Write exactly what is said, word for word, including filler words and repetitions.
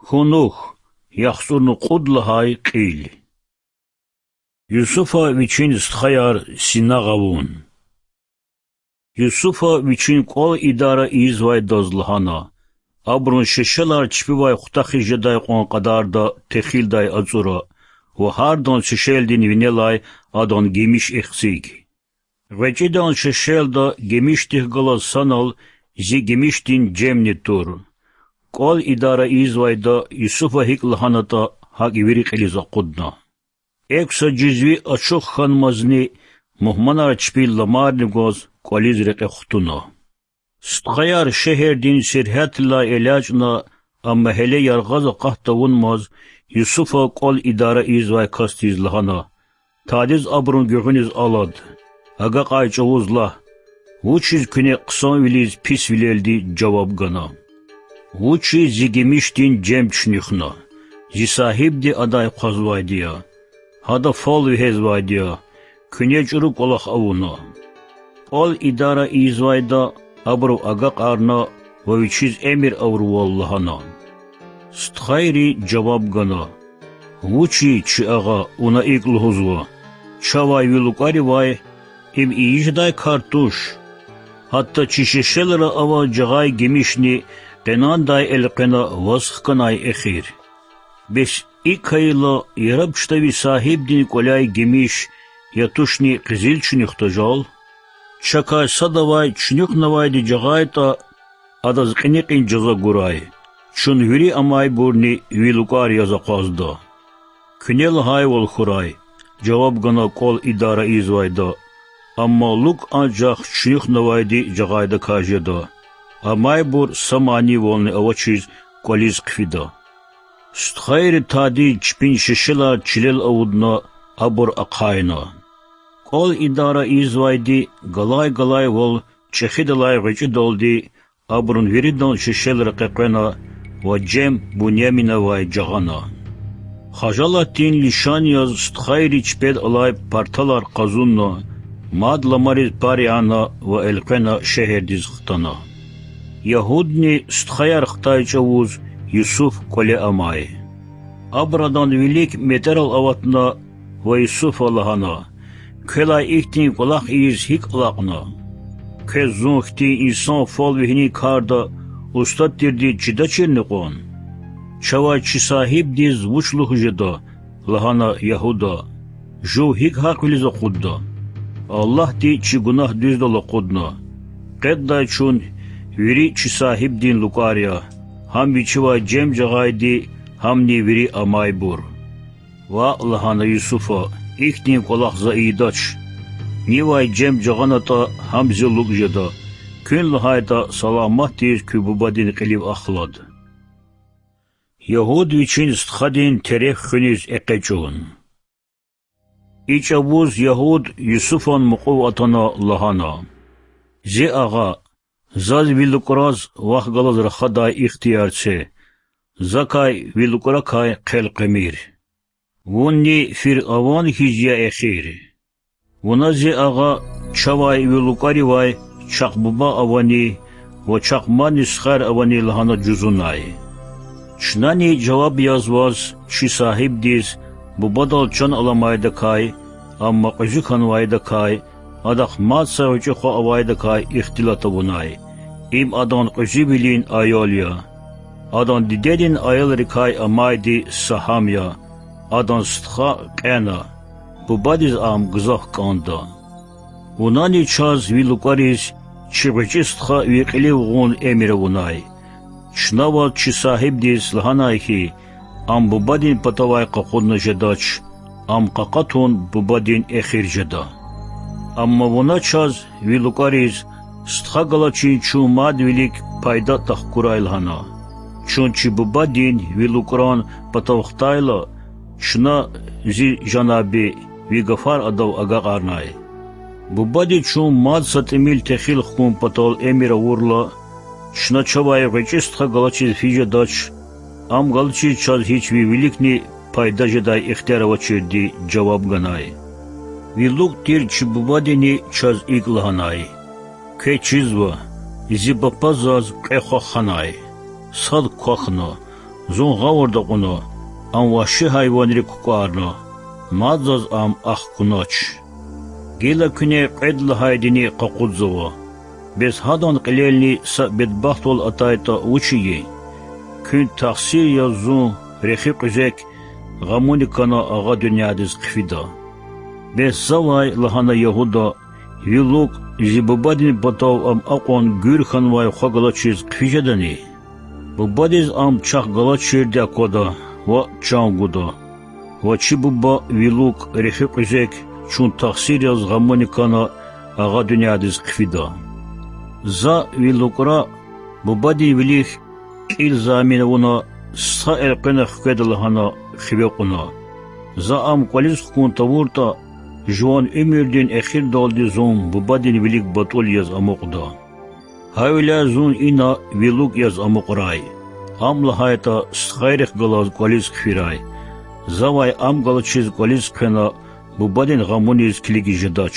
Кунух, яхцӏурни кьуд лагьай кьил. Юсуфа вичин стхаяр синагъ авун. Юсуфа вичин кӏвал идара ийизвайдаз лагьана: абурун шешелар чпивай хутахиз жедай кьван кьадарда техилдай ацӏура ва гьардан шешелдин винелай адан гимиш эциг. ГъвечӀидан шешелда гимишдихъ галаз санал зи гимишдин жемни тур. КӀвал идара ийизвайда Юсуфа гьикӀ лагьанатӀа, гьакӀ вири кьилиз акъудна. Экв са жезви ачух хьанмазни, мугьманар чпин ламарни гваз кӀвализ рекье хтуна. Стхаяр шегьердин сергьятдилай элячӀна, амма гьеле яргъаз акъат тавунмаз, Юсуфа кӀвал идара ийизвай касдиз лагьана: Тадиз абурун гуьгъуьниз алад, агакьай чӀавуз лагь, вучиз куьне хъсанвилиз писвилелди жаваб гана? Вучиз зи гимишдин жем чуьнуьхна? Зи сагьибди адай хъвазвайди я, гьада фал вегьезвайди я, куьне чӀуру кӀвалах авуна. КӀвал идара ийизвайда абуру агакьарна ва вичиз эмир авурвал лагьана. Стхайри жаваб гана: Вучиз, чи агъа, вуна икӀ лугьузва? Чавай ви лукӀаривай им ийидай кар туш. Гьатта чи шешелра авай жагъай гимишни къенандай элкъвена ваз хканай эхир. Бес икӀ хьайила, яраб чтави сагьибдин кӀваляй гимиш, я тушни къизил чуьнуьхдажал? Чакай садавай чуьнуьхнавайди жагъайтӀа, адаз кьиникьин жаза гурай, чун вири амайбурни ви лукӀар яз акъвазда. Куьне лагьайвал хьурай,— жаваб гана кӀвал идара ийизвайда,— амма лукӀ анжах чуьнуьхнавайди жагъайдакай жеда. Амайбур са манийвални авачиз кӀвализ хъфида. Стхайри тадиз чпин шешелар чилел авудна, абур ахъайна. КӀвал идара ийизвайди галай-галайвал чӀехидалай гъвечӀидалди абурун виридан шешелра къекъвена ва жем Буняминавай жагъана. Хажалатдин лишан яз стхайри чпел алай парталар къазунна, мад ламариз пар яна ва элкъвена шегьердиз хтана. Ягьудни стхаяр хтай чӀавуз Юсуф кӀвале амай. Абур адан вилик метӀерал аватна ва Юсуфа лагьана: Квелай ихьтин кӀвалах ийиз гьикӀ алакьна? Квез зун хьтин инсан фал вегьинин карда устад тирди чидачирни кьван? Чавай чи сагьибдиз вуч лугьуз жеда? лагьана Ягьуда. Жув гьикӀ гьахъвилиз акъудда? Аллагьди чи гунагь дуьздал акъудна. Къеддай чун вири чи сагьибдин лукӀар я, гьам вичивай жем жагъайди, гьамни вири амайбур. Ваъ,— лагьана Юсуфа,— ихьтин кӀвалах за ийидач. Нивай жем жагъанатӀа, гьам зи лукӀ жеда. Куьн лагьайтӀа, саламатдиз куь бубадин кьилив ахлад. Ягьуд вичин стхадин тереф хуьниз экъечӀун. И чӀавуз Ягьуд Юсуфан мукьув атана лагьана: Зи агъа, заз ви лукӀраз вахъ галаз рахадай ихтияр це, закай ви лукӀракай хъел къвемир. Вунни фиръаван хьиз я эхир. Вуна, зи агъа, чавай ви лукӀаривай чахъ буба авани ва чахъ мадни стхаяр авани лагьана жузунай. Чнани жаваб яз ваз, чи сагьибдиз, бубадал чан аламайдакай, амма кьуьзуь хьанвайдакай, адахъ мад са гъвечӀи хва авайдакай ихтилат авунай. Им адан кьуьзуьвилин аял я. Адан дидедин аялрикай амайди сагьам я, адан стха кьена, бубадиз ам гзаф кӀанда. Вунани чаз, ви лукӀариз, чи гъвечӀи стха ви кьилив гъун эмир авунай. Чна ваз, чи сагьибдиз, лагьанай хьи, ам бубадин патавай къакъудна жедач, ам къакъатун бубадин эхир жеда. Амма вуна чаз, ви лукӀариз, стха галачин чун мад вилик пайда тахкурай лагьана. Чун чи бубадин, ви лукӀран, патав хтайла, чна, зи жанаби, ви гафар адав агакьарнай. Бубади чун мад са тӀимил техил хкун патал эмир авурла, чна чавай гъвечӀи стха галачиз физ жедач, ам галачиз чаз гьич ви виликни пайда жедай ихтияр авачирди жаваб ганай. Ви лукӀ тир чи бубадини чаз икӀ лагьанай: Квез чизва, зи бапа заз кьве хва ханай. Сад квахьна, Зун гъавурда акьуна, ам вагьши гьайванрик кукӀварна, мад заз ам ахкунач. Гила куьне кьвед лагьайдини къакъудзава. Бес гьадан кьилелни са бедбахтвал атайтӀа вуч ийин? Куьн тахсир яз зун, рехи кьуьзек, гъамуни кана агъа дуьньядиз хъфида. Бес завай, лагьана Ягьуда, ви лукӀ, зи бубадин патав ам акьван гуьр хьанвай хва галачиз хъфиз жедани? Бубадиз ам чахъ галачирди аквада ва чан гуда. Ва чи буба, ви лукӀ, рехи кьуьзек, чун тахсир яз гъамуни кана агъа дуьньядиз хъфида. За, ви лукӀра, бубадин вилик кьил замин авуна, стха элкъвена хкведа лагьана хиве кьуна. За ам кӀвализ хкун тавуртӀа, жуван уьмуьрдин эхирдалди зун бубадин вилик батӀул яз амукьда. Гьавиляй зун ина ви лукӀ яз амукьрай. Ам лагьайтӀа стхайрихъ галаз кӀвализ хъфирай. Завай ам галачиз кӀвализ хъфена бубадин гъамуниз килигиз жедач.